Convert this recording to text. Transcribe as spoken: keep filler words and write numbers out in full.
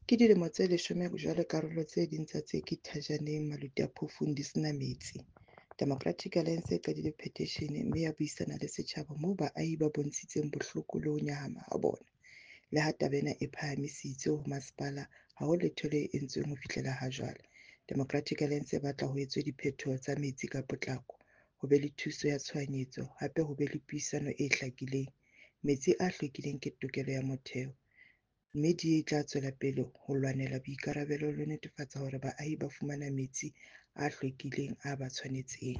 Ke dilemo tse leshome jwale karolo tse ding tsa Ntseki Thajaneng Maluti-a-Phofung di sena metsi. Democratic Alliance e qadile petition mme ya buisana le setjhaba moo baahi ba bontshitseng bohloko le ho nyahama ha bona. Le ha taba ena e phahamisitswe ho masepala, ha ho letho le entsweng ho fihlela ha jwale. Democratic Alliance e batla ho etswe diphethoho tsa metsi ka potlako, ho be le thuso ya tshohanyetso, hape ho be le puisano e hlakileng. Metsi a hlwekileng ke tokelo ya motheo, mme di tla tswela pele ho lwanela boikarabelo le ho netefatsa hore baahi ba fumana metsi a hlwekileng a ba tshwanetseng.